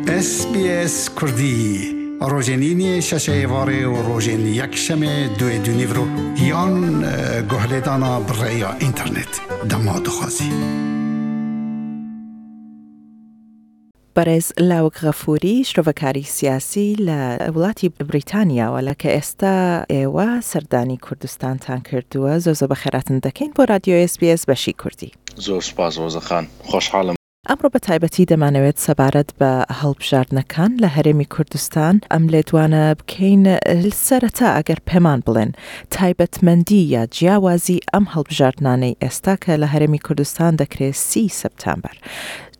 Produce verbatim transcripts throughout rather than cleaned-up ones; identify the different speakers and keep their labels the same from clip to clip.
Speaker 1: S B S Kurdî rojên îniyê şeşê êvarê û rojên yekşemê duê du nîvro yan guhlêdana bi rêya înternet dema dixwazî.
Speaker 2: بەڕێز لاوک غەفوری شرۆڤەکاری سیاسی لە وڵاتی بریتانیاوە لە کە ئێستا ئێوە سەردانی کوردستانتان کردووە زۆر زۆر بەخێراتن دەکەین بۆ رادیۆ S B S بەشی کوردی.
Speaker 3: زۆر سوپاس ڕۆزەخان، خۆشحاڵم.
Speaker 2: ئەمڕۆ بە تایبەتی دەمانەوێت سەبارەت بە هەڵبژاردنەکان لە هەرێمی کوردستان ئەم لێدوانە بکەین. سەرەتا ئەگەر پێمان بڵێن تایبەتمەندی یا جیاوازی ئەم هەڵبژاردنانەی ئێستا کە لە هەرێمی کوردستان دەکرێت سی سپتامبەر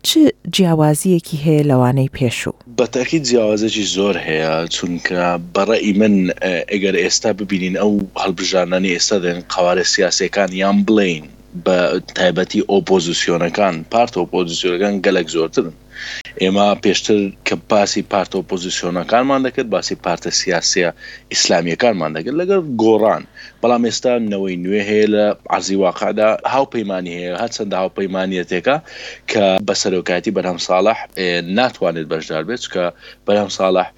Speaker 2: چ جیاوازیەکی هەیە لەوانەی پێشوو؟
Speaker 3: بە تاکید جیاوازێکی زۆر هەیە، چونکە بەڕێی من ئەگەر ئێستا ببینین ئەو هەڵبژاردنانەی ئێستا دێن قەوارە سیاسیەکان یان بڵێین بە تایبەتی ئۆپۆزیسیۆنەکان، پارتە ئۆپۆزیسیۆنەکان گەلک زۆرترن. ئێمە پێشتر کە باسی پارتە ئۆپۆزیسیۆنەکانمان دەکرد، باسی پارتە سیاسیە ئیسلامیەکانمان دەکرد لەگەڵ گۆڕان، بەڵام ئێستا نەوەی نوێ هەیە لە عەرزی واقعدا، هاوپەیمانی هەیە، هەرچەندە هاوپەیمانیەتێکە کە بە سەرۆکایەتی بەرهەم ساڵح ناتوانێت بەشدار بێت، چونکە بەرهەم ساڵح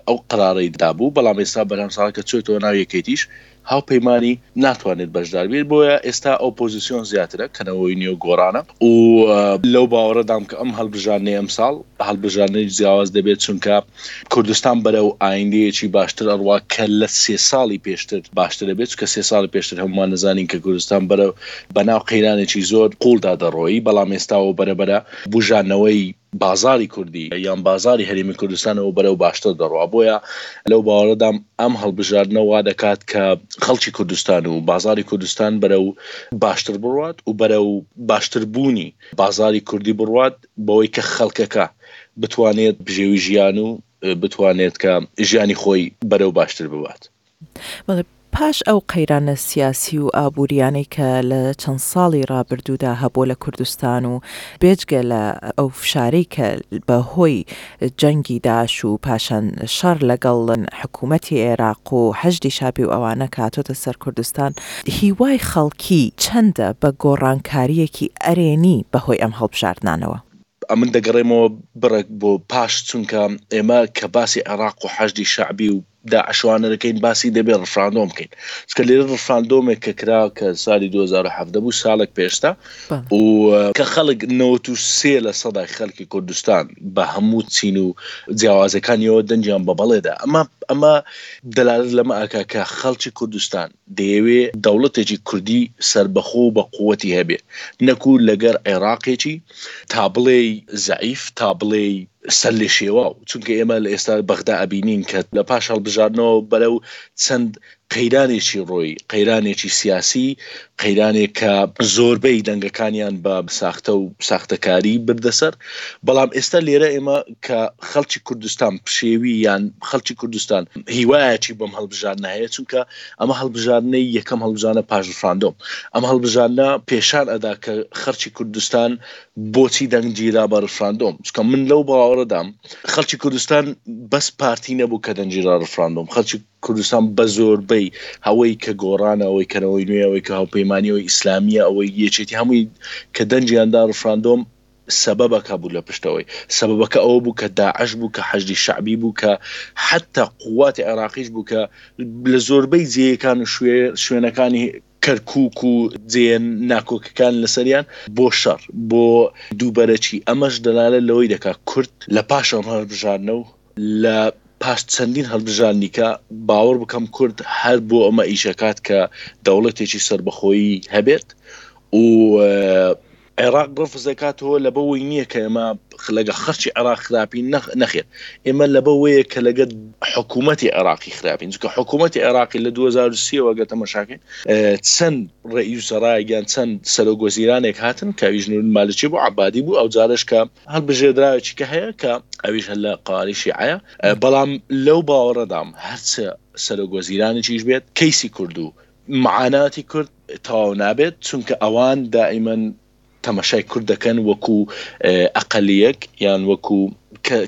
Speaker 3: ئەو قرارەی دابوو، بەڵام ئێستا بەرهەم ساڵح کە چۆتەوە ناو یەکێتیش هاوپەیمانی ناتوانێت بەشدار بێت، بۆیە ئێستا ئۆپۆزیسیۆن زیاترە کە نەوەی نوێ گۆڕانە. و لەو باوەڕەدام کە ئەم هەڵبژاردنەی ئەمساڵ هەڵبژاردنەی جیاواز دەبێت، چونکە کوردستان بەرەو ئایندەیەکی باشتر ئەڕوا کە لە سێ ساڵی پێشتر باشتر دەبێت، چونکە سێ ساڵی پێشتر هەمومان نەزانین کە کوردستان بەرەو بەناو قەیرانێکی زۆر قوڵدا دەڕۆیی، بەڵام ئێستاوە بەرەبەرە بژانەوەی بازاری کوردی یان بازاری هەرێمی کوردستانەوە بەرەو باشتر دەڕوا. بۆیە لەو باوەڕەدام ئەم هەڵبژاردنە وا دەکات کە خەڵکی کوردستان و بازاری کوردستان بەرەو باشتر بڕوات و بەرەو باشتربوونی بازاری کوردی بڕوات، بەوەی کە خەڵکەکە بتوانێت بژێوی ژیان و بتوانێت کە ژیانی خۆی بەرەو باشتر ببات.
Speaker 2: بەڵێ، پاش ئەو قەیرانە سیاسی و ئابووریانەی کە لە چەند ساڵی ڕابردوودا هەبوو لە کوردستان و بێجگە لە ئەو فشارەی کە بەهۆی جەنگی داعش و پاشان شەڕ لەگەڵ حکوومەتی عێراق و حەشدی شابی و ئەوانە کە هاتۆتە سەر کوردستان، هیوای خەڵکی چەندە بە گۆڕانکاریەکی ئەرێنی بەهۆی ئەم هەڵبژاردنانەوە؟
Speaker 3: ئەمن دەگەڕێمەوە بڕێک بۆ پاش، چونکە ئێمە کە باسی عێراق و حەشدی شەعبی و داعشوانە دەکەین باسی دەبێت ڕفراندۆم بکەین، چونکە لێرە ڕفراندۆمێک کە کرا کە ساڵی دوو هەزار و حەڤدە بوو، ساڵێک پێشتا، و کە خەڵک نەوەت و سێ لە سەدای خەڵکی کوردستان بە هەموو چین و جیاوازەکانیەوە دەنگیان بە بەڵێدا. ئەمە ئەمە دەلالەت لەمە ئاکا کە خەڵکی کوردستان دەیەوێ دەوڵەتێکی کوردی سربەخۆ و بە قووەتی هەبێ، نەکو لەگەر عێراقێکی تا بڵێی زەعیف، تا بڵێی سەر لێ شێواو. چونکە ئێمە لە ئێستا بەغدا ئەبینین کە لە پاش هەڵبژاردنەوە بەرەو چەند قەیرانێکی ڕۆی، قەیرانێکی سیاسی، قەیرانێک کە زۆربەی دەنگەکانیان بە ساختە و ساختەکاری بردەسەر. بەڵام ئێستا لێرە ئێمە کە خەڵکی کوردستان پشێوی یان خەڵکی کوردستان هیوایەکی بەم هەڵبژاردنە هەیە، چونکە ئەمە هەڵبژاردنەی یەکەم هەڵبژاردنە پاش ڕفراندۆم. ئەم هەڵبژاردنە پێشان ئەدا کە خەڵکی کوردستان بۆچی دەنگگیرا بە ڕفراندۆم، چونکە من لەو باوەڕەدام خەڵکی کوردستان بەس پارتی نەبوو کە دەنگگیرا ڕفراندۆم، خەڵکی کوردستان بە زۆربەی هەوەی کە گۆڕانە، ئەوەی کەنەوەی نوێ، ئەوەی کە هاوپەیمانی، ئەوەی ئیسلامیە، ئەوەی یەکێتی، هەمووی کە دەنگیاندا ڕفراندۆم سەبەبەکە بوو لە پشتەوەی. سەبەبەکە ئەوە بوو کە داعش بوو، کە حەشدی شەعبی بوو، کە حتی قوات عێراقیش بوو کە لە زۆربەی جێیەکان و شوێنەکانی کەرکووک و جێ ناکۆکەکان لەسەریان بۆ شەڕ، بۆ دووبەرەکی. ئەمەش دەلالەت لەوەی دەکات کورد لە پاش ئەم هەڵبژاردنە و لە پاش چەندین هەڵبژاردنیکە باوەڕ بکەم کورد هەر بۆ ئەمە ئیشەکات کە دەوڵەتێکی سربەخۆیی هەبێت و عێراق ڕەفز دەکاتەوە لەبەوەی نییە کە ئێمە لەگە خەرچی عێراق خراپین، نەخێر، ئێمە لەبەوەیە کە لەگە حکوومەتی عێراقی خراپین، چونکە حکوومەتی عێراقی لە دوو هەزار و سێ وە گەر تەماشاکەین چەند ڕئیس وزەرایەک یان چەند سەرۆک وەزیرانێک هاتن کە ئەویش نور مالکی بوو، عەبادی بوو، ئەو جارش کە هەڵبژێردراوێکی کە هەیە کە ئەویش هەر لە قواری شیعەیە. بەڵام لەو باوەڕەدام هەرچە سەرۆک وەزیرانێکیش بێت کەیسی کورد و معاناتی کورد تەواو نابێت، چونکە ئەوان دائیمەن تەماشای کورد دەکەن وەکو ئەقەلیەک یان وەکو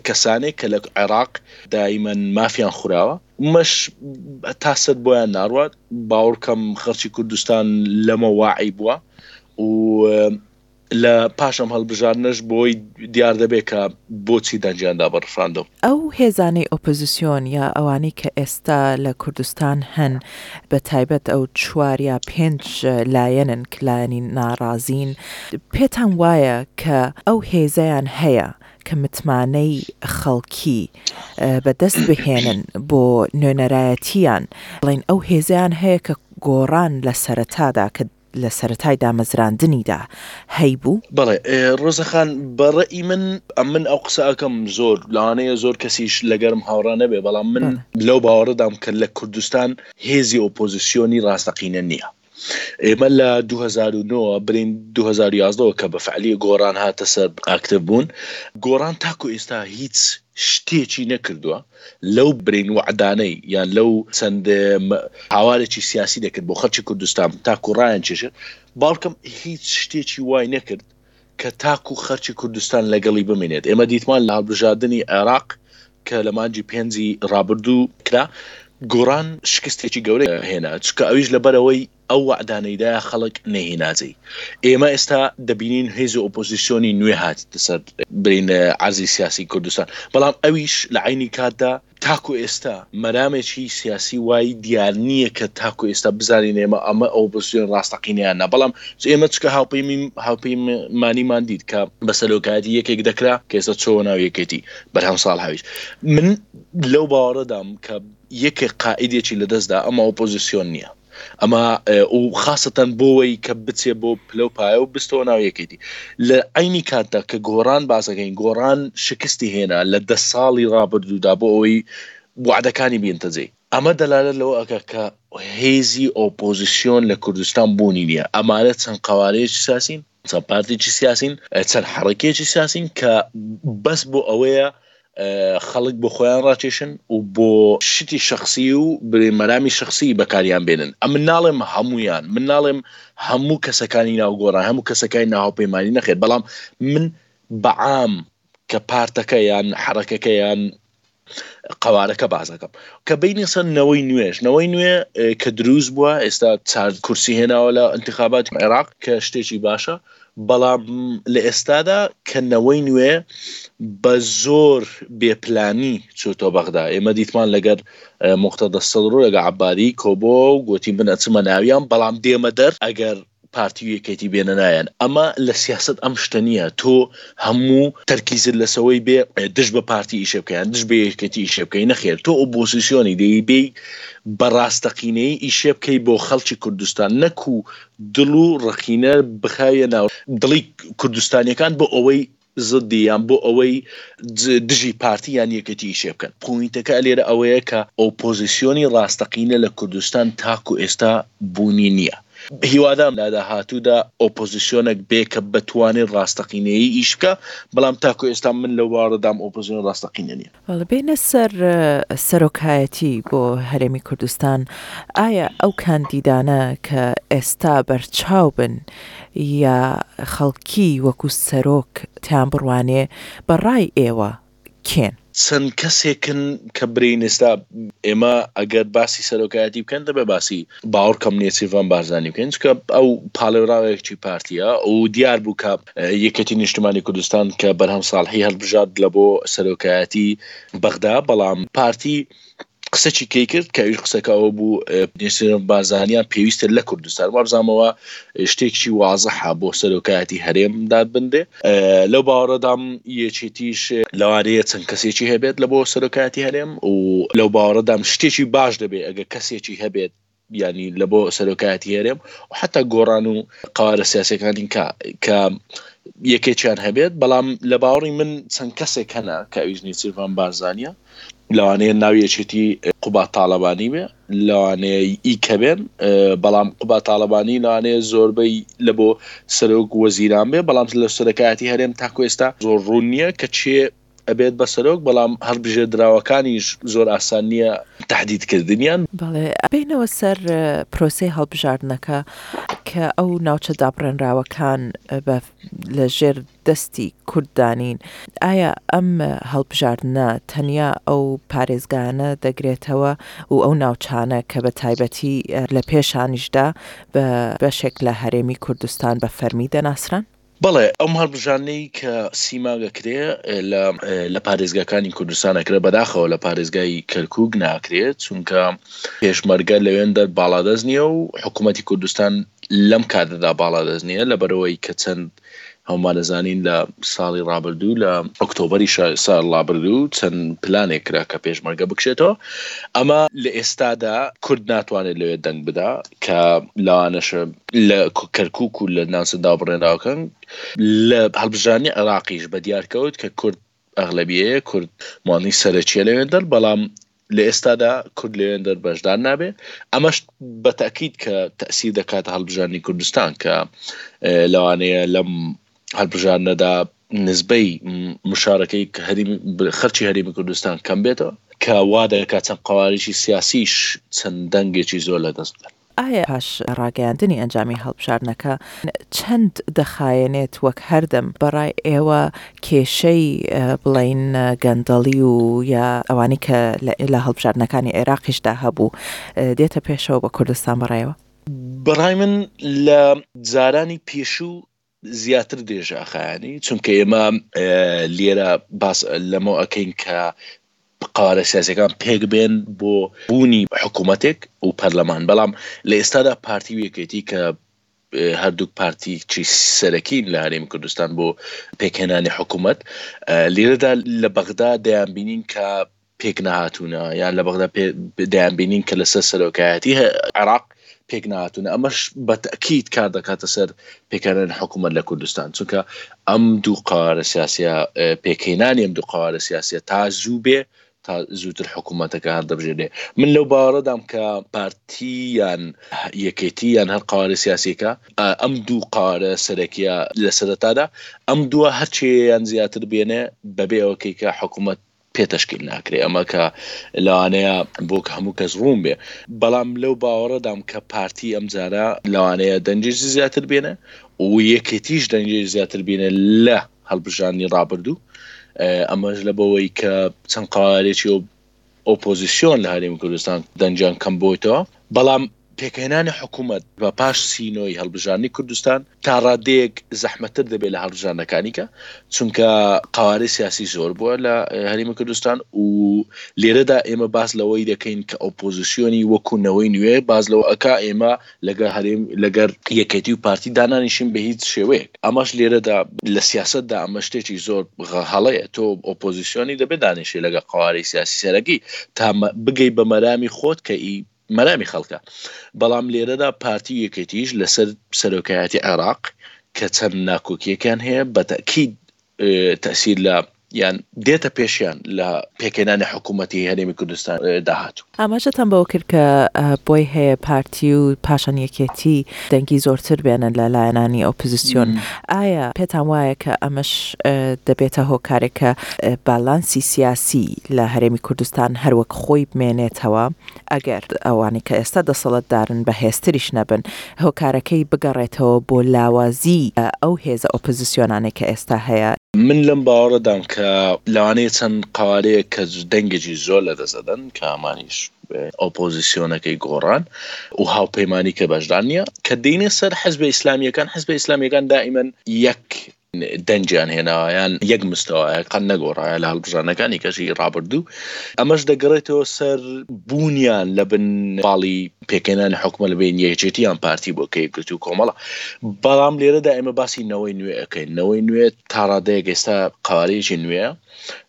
Speaker 3: کەسانێک کە لە عێراق دائیمەن مافیان خوراوە، مەش تا سەر بۆیان ناڕوات. باوەڕکەم خەڵکی کوردستان لەمە واعی بووە و لە پاش ئەم هەڵبژاردنەش بۆی دیار دەبێت کە بۆچی دەنگیان دا بە ڕفراندۆم.
Speaker 2: ئەو هێزانەی ئۆپۆزیسیۆن یا ئەوانەی کە ئێستا لە کوردستان هەن بە تایبەت ئەو چوار یا پێنج لایەنن کە لایەنی ناڕازین، پێتان وایە کە ئەو هێزەیان هەیە کە متمانەی خەڵکی بە دەست بهێنن بۆ نوێنەرایەتییان، بڵێین ئەو هێزەیان هەیە کە گۆڕان لە سەرەتادا کە لە سەرەتای دامەزراندنیدا هەیبوو؟
Speaker 3: بەڵێ ڕۆزە خان بە ڕەئی من ئەمن ئەو قسە ئەکەم زۆر لەوانەیە زۆر کەسیش لەگەرم هاوڕا نەبێ بەڵام من لەو باوەڕەدام کە لە کوردستان هێزی ئۆپۆزیسیۆنی ڕاستەقینە نییە ئێمە لە دوو هەزار و نۆ برین دوو هەزار و یازدە کە بە فعلی گۆڕان هاتە سەر ئاکتیڤ بوون گۆڕان تاکو ئێستا هیچ شتێکی نەکردووە لەو برین وەعدانەی یان لەو چەند هاوارێکی سیاسی دەکرد بۆ خەڵکی کوردستان تاکو ڕایان کێشێت باڵکم هیچ شتێکی وای نەکرد کە تاکو خەرکی کوردستان لەگەڵی بمێنێت ئێمە دیتمان لە هەڵبژاردنی عێراق کە لە مانگی پێنجی ڕابردوو کرا گۆڕان شکستێکی گەورەی هێنا چونکە ئەویش لەبەرئەوەی ئەو وەعدانەی دایە خەڵک نەیهێناجێی. ئێمە ئێستا دەبینین هێزی ئۆپۆزیسیۆنی نوێ هاتیتە سەر برین عەرزی سیاسی کوردستان، بەڵام ئەویش لە عەینی کاتدا تاکو ئێستا مەرامێکی سیاسی وای دیار نییە کە تاکو ئێستا بزانین ئێمە ئەمە ئۆپۆزیسیۆن ڕاستەقینە یان نا، بەڵام ئێمە چونکە هاوپەیمانیمان دیت کە بە سەرۆکایەتی یەکێک دەکرا کە ئێستا چۆوە ناو یەکێتی بەرهەم ساڵحەویش من لەو باوەڕەدام کە یەکێک قائیدێکی لەدەستدا ئەمە ئۆپۆزیسیۆن نییە. ئەمە و خاسەتەن بۆوەی کە بچێ بۆ پلە و پایە و بستەوە ناو یەکێتی لە عەینی کاتدا کە گۆڕان باسەکەین گۆڕان شکستی هێنا لە دە ساڵی ڕابردوودا بۆ ئەوەی وەعدەکانی بێنتە جێ ئەمە دەلالەت لەوە ئەکا کە هێزی ئۆپۆزیسیۆن لە کوردستان بوونی نییە ئەمانە چەند قەوارەیەکی سیاسین چەند پارتێکی سیاسین چەند حەڕەکەیەکی سیاسین کە بەس بۆ ئەوەیە خەڵک بۆ خۆیان ڕاکێشن و بۆ شتی شەخسی و برێ مەرامی شەخسی بەکاریان بێنن ئەمن ناڵێم هەموویان من ناڵێم هەموو کەسەکانی ناو گۆڕان هەموو کەسەکانی ناو هاوپەیمانی نەخێر بەڵام من بەعام کە پارتەکە یان حەڕەکەکە یان قەوارەکە باس ئەکەم کە بینە سەر نەوەی نوێش نەوەی نوێ کە دروست بووە ئێستا چار کورسی هێناوە لە انتخاباتی عێراق کە شتێکی باشە بەڵام لە ئێستادا کە نەوەی نوێ بە زۆر بێ پلانی چۆتەوە بەغدا ئێمە دیتمان لەگەر موقتەدا سەدر و لەگە عەبادی کۆبۆ و گۆتی من ئەچمە ناویان بەڵام دێمە دەر ئەگەر پارتی و یەکێتی بێنە نایان ئەمە لە سیاسەت ئەم شتە نییە تۆ هەموو تەرکیزت لەسەوەی بێ دژ بە پارتی ئیشێ بکەی یان دژ بە یەکێتی ئیشێ بکەی نەخێر تۆ ئۆپۆزیسیۆنی دەی بێی بە ڕاستەقینەیی ئیشێ بکەی بۆ خەڵکی کوردستان نەکو دڵ و ڕقینە بخایە ناو دڵی کوردستانیەکان بۆ ئەوەی زدی یان بۆ ئەوەی دژی پارتی یان یەکێتی ئیشێ بکەن پۆینتەکە لێرە ئەوەیە کە ئۆپۆزیسیۆنی ڕاستەقینە لە کوردستان تاکو ئێستا بوونی نییە هیوادام لە داهاتوودا ئۆپۆزیسیۆنێک بێ کە بتوانێت ڕاستەقینەیی ئیش بکا بەڵام تاکو ئێستا من لەو باوەڕەدام ئۆپۆزیسیۆن ڕاستەقینە نییە.
Speaker 2: بەڵێ بێینە سەر سەرۆکایەتی بۆ هەرێمی کوردستان، ئایا ئەو کاندیدانە کە ئێستا بەرچاو بن یا خەڵکی وەکو سەرۆک تیان بڕوانێ بە ڕای ئێوە کێن؟
Speaker 3: چەند کەسێکن کە برێین ئێستا ئێمە ئەگەر باسی سەرۆکایەتی بکەن دەبێ باسی باوەڕکەم نێچیرڤان بارزانی بکەین چونکە ئەو پاڵێوراوێکی پارتیە و دیار بوو کە یەکێتی نیشتمانی کوردستان کە بەرهەم ساڵحی هەڵبژارد لە بۆ سەرۆکایەتی بەغدا بەڵام پارتی قسەکی کەی کرد کە ئەویش قسەکە ئەوە بوو نێچیرڤان بارزانیان پێویستە لە کوردستان وابزانمەوە شتێکی وازحە بۆ سەرۆکایەتی هەرێم دابنرێ لەو باوەڕەدام یەکێتیش لەوانەیە چەند کەسێکی هەبێت لە بۆ سەرۆکایەتی هەرێم و لەو باوەڕەدام شتێکی باش دەبێت ئەگەر کەسێکی هەبێت یانی لە بۆ سەرۆکایەتی هەرێم و حتا گۆڕان و قەوارە سیاسەکانی کە کە یەکێکیان هەبێت بەڵام لە باوەڕی من چەند کەسێک هەنە کە ئەویش نێچیرڤان بارزانیە لەوانەیە ناو یەکێتی قوباد تاڵەبانی بێ لەوانەیە ئی کە بێن بەڵام قوباد تاڵەبانی لەوانەیە زۆربەی لە بۆ سەرۆک وەزیران بێ بەڵام لە سەرۆکایەتی هەرێم تاکو ئێستا زۆر ڕوون نییە کە چێ ئەبێت بە سەرۆک بەڵام هەڵبژێردراوەکانیش زۆر ئاسان نییە تەحدید کردنیان.
Speaker 2: بەڵێ بێینەوە سەر پرۆسەی هەڵبژاردنەکە کە ئەو ناوچە دابڕێنراوەکان بە لە ژێر دەستی کورد دانین، ئایا ئەم هەڵبژاردنە تەنیا ئەو پارێزگایانە دەگرێتەوە و ئەو ناوچانە کە بە تایبەتی لە پێشانیشدا بە بەشێک لە هەرێمی کوردستان بە فەرمی دەناسران؟
Speaker 3: بەڵێ، ئەم هەڵبژاردنەی کە سی مانگ ئەکرێ لە لە پارێزگاکانی کوردستان ئەکرێ، بەداخەوە لە پارێزگای کەرکووک ناکرێ، چونکە پێشمەرگە لەوێندەر باڵادەست نییە و حکوومەتی کوردستان لەم کاتەدا باڵادەست نییە، لەبەرئەوەی کە چەند هەموومان ئەزانین لە ساڵی ڕابردوو لە ئۆکتۆبەری ساڵ ڕابردوو چەند پلانێک کرا کە پێشمەرگە بکشێتەوە. ئەمە لە ئێستادا کورد ناتوانێت لەوێ دەنگ بدا کە لەوانەشە لە کەرکوک و لە ناوچە دابڕێنراوەکان. لە هەڵبژاردنی عێراقیش بە دیار کەوت کە کورد ئەغلەبیەیە، کورد مانی سەرەکیە لەوێندەر، بەڵام لە ئێستادا کورد لەوێندەر بەشدار نابێ. ئەمەش بە تەئکید کە تەئسیر دەکاتە هەڵبژاردنی کوردستان کە لەوانەیە لەم هەڵبژاردنەدا نسبەی مشارەکەی هەرێمی خەرچی هەرێمی کوردستان کەم بێتەوە کە وا دەکات چەند قەوارێکی سیاسیش چەند دەنگێکی زۆر لەدەست بدەن.
Speaker 2: ئایا پاش ڕاگەیاندنی ئەنجامی هەڵبژاردنەکە چەند دەخایەنێت وەک هەردەم بەڕای ئێوە کێشەی بڵێین گەندەڵی و یا ئەوانەی کە لە هەڵبژاردنەکانی عێراقیشدا هەبوو دێتە پێشەوە بە کوردستان بەڕای ئێوە؟
Speaker 3: بەڕای من لە جارانی پێشوو زیاتر درێژە ئەخایەنی، چونکە ئێمە لێرە باس لەمە ئەکەین کە قەوارە سیاسیەکان پێک بێن بۆ بوونی حکوومەتێک و پەرلەمان، بەڵام لە ئێستادا پارتی و یەکێتی کە هەردووک پارتی چی سەرەکین لە هەرێمی کوردستان بۆ پێکهێنانی حکوومەت، لێرەدا لە بەغدا دەیانبینین کە پێک نەهاتوونە، یان لە بەغدا دەیانبینین کە لەسەر سەرۆکایەتی عێراق پێک نەهاتوونە. ئەمەش بە تەئکید کار دەکاتە سەر پێکهێنانی حکوومەت لە کوردستان، چونکە ئەم دوو قەوارە سیاسیە، پێکهێنانی ئەم دوو قەوارە سیاسیە تا زوو بێ تا زووتر حکوومەتەکە هەڵدەبژێرێ. من لەو باوەڕەدام کە پارتی یان یەکێتی یان هەر قەوارە سیاسیەکە، ئەم دوو قەوارە سەرەکیە لە سەرەتادا ئەم دووە هەرچیان زیاتر بێنێ بەبێ ئەوەکەی کە حکوومەت پێ تەشکیل ناکرێ. ئەمە کە لەوانەیە بۆ کە هەموو کەس ڕوون بێ، بەڵام لەو باوەڕەدام کە پارتی ئەم جارە لەوانەیە دەنگێکی زیاتر بێنێ و یەکێتیش دەنگێکی زیاتر بێنێ لە هەڵبژاردنی ڕابردوو. ئەمەش لە بەوەی کە چەند قەوارێکی ئۆپۆزیسیۆن لە هەرێمی کوردستان دەنگیان کەم بۆیتەوە، بەڵام پێکهێنانی حکوومەت بە پاش سینۆی هەڵبژاردنی کوردستان تا ڕادەیەک زەحمەتتر دەبێت لە هەڵبژاردنەکانی کە، چونکە قەوارەی سیاسی زۆر بووە لە هەرێمی کوردستان و لێرەدا ئێمە باس لەوەی دەکەین کە ئۆپۆزیسیۆنی وەکو نەوەی نوێ باس لەوە ئەکا ئێمە لەگەر هەرێم لەگەر یەکێتی و پارتی دانانیشین بە هیچ شێوەیەک. ئەمەش لێرەدا لە سیاسەتدا ئەمە شتێکی زۆر هەڵەیە، تۆ ئۆپۆزیسیۆنی دەبێت دانیشی لەگەڵ قەوارەی سیاسی سەرەکی تا بگەی بە مەرامی خۆت کە ئی مەرامی خەڵکە. بەڵام لێرەدا پارتی و یەکێتیش لەسەر سەرۆکایەتی عێراق کە چەند ناکۆکیەکیان هەیە بە تەئکید تەئسیر لە یان دێتە پێشیان لە پێکهێنانی حکوومەتی هەرێمی کوردستان داهاتوو.
Speaker 2: ئاماژەتان بەوە کرد کە بۆی هەیە پارتی و پاشان یەکێتی دەنگی زۆرتر بێنن لە لایەنانی ئۆپزسیۆن، ئایا پێتان وایە کە ئەمەش دەبێتە هۆکارێک کە بالانسی سیاسی لە هەرێمی کوردستان هەر وەک خۆی بمێنێتەوە، ئەگەر ئەوانەی کە ئێستا دەسەڵاتدارن بەهێزتریش نەبن، هۆکارەکەی بگەڕێتەوە بۆ لاوازی ئەو هێزە ئۆپۆزسیۆنانەی کە ئێستا هەیە؟
Speaker 3: من لەم باوەڕەدام کە لەوانەیە چەند قەوارەیەک کە دەنگێکی زۆر لەدەست ئەدەن کە ئەمانیش ئۆپۆزسیۆنەکەی گۆڕان و هاوپەیمانی کە بەشدار نییە، کە دێینە سەر حزبە ئیسلامییەکان، حزبە ئیسلامییەکان دائیمەن یەک دەنگیان هێناوە یان یەک مستەوایە قەت نەگۆڕایە لە هەڵبژاردنەکانی کەشی ڕابردوو. ئەمەش دەگەڕێتەوە سەر بوونیان لە بن باڵی پێکهێنانی حکومە لە بین یەکێتی یان پارتی بۆ کە یەکگرتوو کۆمەڵە. بەڵام لێرەدا ئێمە باسی نەوەی نوێ ئەکەین. نەوەی نوێ تا ڕادەیەک ئێستا قەوارەیەکی نوێیە،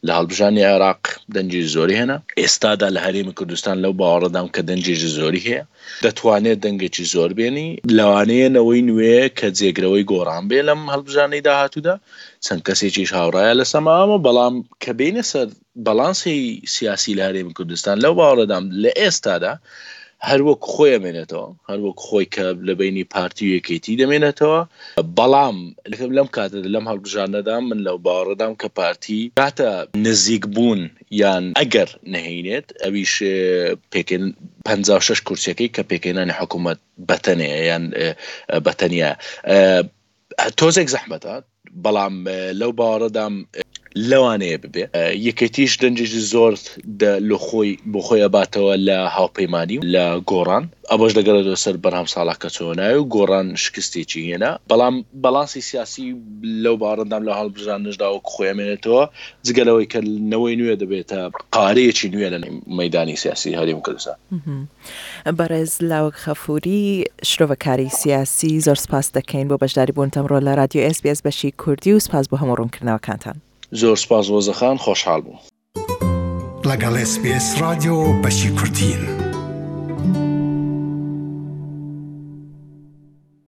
Speaker 3: لە هەڵبژاردنی عێراق دەنگی زۆری هێنا، ئێستادا لە هەرێمی کوردستان لەو باوەڕەدام کە دەنگێکی زۆری هەیە، دەتوانێت دەنگێکی زۆر بێنی، لەوانەیە نەوەی نوێ کە جێگرەوەی گۆڕان بێ لەم هەڵبژاردنەی داهاتوودا، چەند کەسێکیش هاوڕایە لەسەر ئەمە، بەڵام کە بێینە سەر باڵانسی سیاسی لە هەرێمی کوردستان لەو باوەڕەدام لە ئێستادا هەر وەک خۆی ئەمێنێتەوە، هەر وەک خۆی کە لە بەینی پارتی و یەکێتی دەمێنێتەوە، بەڵام لەم کاتەدا لەم هەڵبژاردنەدا من لەو باوەڕەدام کە پارتی کاتە نزیک بوون یان ئەگەر نەهینێت ئەویش پێکێن پەنجا و شەش کورسیەکەی کە پێکهێنانی حکوومەت بەتەنێ یان بەتەنیا تۆزێک زەحمەتە، بەڵام لەو باوەڕەدام لەوانەیە ببێ. یەکێتیش دەنگێکی زۆر لە خۆی بۆ خۆی ئەباتەوە لە هاوپەیمانی و لە گۆڕان، ئەوەش دەگەڕێتەوە سەر بەرهەم ساڵح کە چۆ ناوی و گۆڕان شکستێکی هێنا، بەڵام باڵانسی سیاسی لەو باوەڕەدام لە هەڵبژاردنشدا وەک خۆی ئەمێنێتەوە، جگە لەوەی کە نەوەی نوێ دەبێتە قەوارەیەکی نوێ لە مەیدانی سیاسی هەرێمی کوردستان.
Speaker 2: بەڕێز لاوک غەفوری شرۆڤەکاری سیاسی زۆر سپاست دەکەین بۆ بەشداری بوونت ئەمڕۆ لە رادیۆ ئێس بی ئێس بەشی کوردی و سپاس بۆ هەموو ڕوونکردنەوەکانتان.
Speaker 3: زۆر سپاس ڕۆزە خان، خۆشحاڵ بووم.
Speaker 1: لەگەڵ ئێس بی ئێس ڕادیۆ بەشی کوردین.